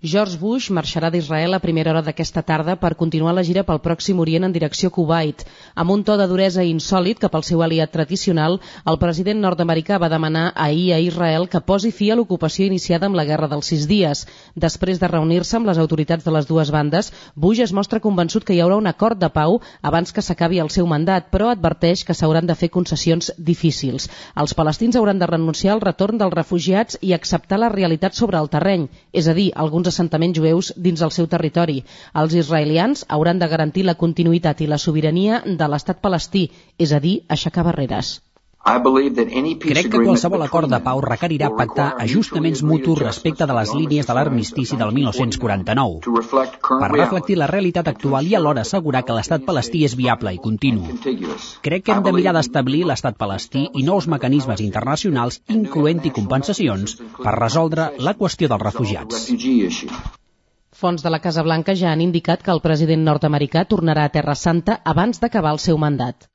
George Bush marxarà d'Israel a primera hora d'aquesta tarda per continuar la gira pel Pròxim Orient en direcció a Kuwait. Amb un to de duresa insòlit cap al seu aliat tradicional, el president nord-americà va demanar ahir a Israel que posi fi a l'ocupació iniciada amb la Guerra dels 6 dies. Després de reunir-se amb les autoritats de les dues bandes, Bush es mostra convençut que hi haurà un acord de pau abans que s'acabi el seu mandat, però adverteix que s'hauran de fer concessions difícils. Els palestins hauran de renunciar al retorn dels refugiats i acceptar la realitat sobre el terreny, és a dir, alguns assentaments jueus dins el seu territori. Els israelians hauran de garantir la continuïtat i la sobirania de l'estat palestí, és a dir, aixecar barreres. Crec que qualsevol acord de pau requerirà pactar ajustaments mutus respecte de les línies de l'armistici del 1949, per reflectir la realitat actual i alhora assegurar que l'estat palestí és viable i continu. Crec que hem de mirar d'establir l'estat palestí i nous mecanismes internacionals, incloent-hi compensacions, per resoldre la qüestió dels refugiats. Fonts de la Casa Blanca ja han indicat que el president nord-americà tornarà a Terra Santa abans d'acabar el seu mandat.